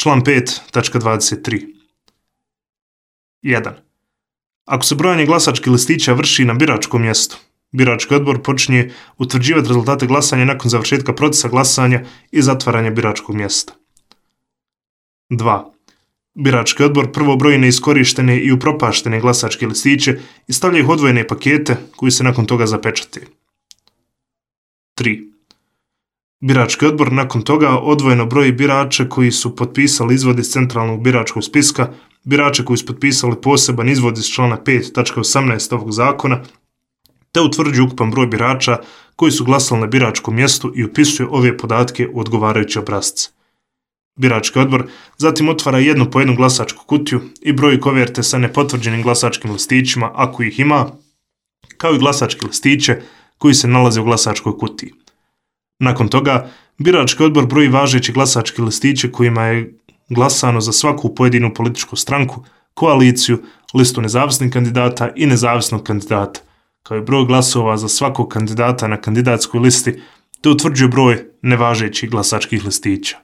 Član 5.23. 1. Ako se brojanje glasačkih listića vrši na biračkom mjestu, birački odbor počinje utvrđivati rezultate glasanja nakon završetka procesa glasanja i zatvaranja biračkog mjesta. 2. Birački odbor prvo broji neiskorištene i upropaštene glasačke listiće i stavlja ih u odvojene pakete koji se nakon toga zapečate. 3. Birački odbor nakon toga odvojeno broji birače koji su potpisali izvod iz centralnog biračkog spiska, birače koji su potpisali poseban izvod iz člana 5.18 ovog zakona, te utvrđuje ukupan broj birača koji su glasali na biračkom mjestu i upisuje ove podatke u odgovarajuće obrasce. Birački odbor zatim otvara jednu po jednu glasačku kutiju i broji koverte sa nepotvrđenim glasačkim listićima, ako ih ima, kao i glasačke listiće koji se nalaze u glasačkoj kutiji. Nakon toga, birački odbor broji važeće glasačke listiće kojima je glasano za svaku pojedinu političku stranku, koaliciju, listu nezavisnih kandidata i nezavisnog kandidata, kao i broj glasova za svakog kandidata na kandidatskoj listi, te utvrđuje broj nevažećih glasačkih listića.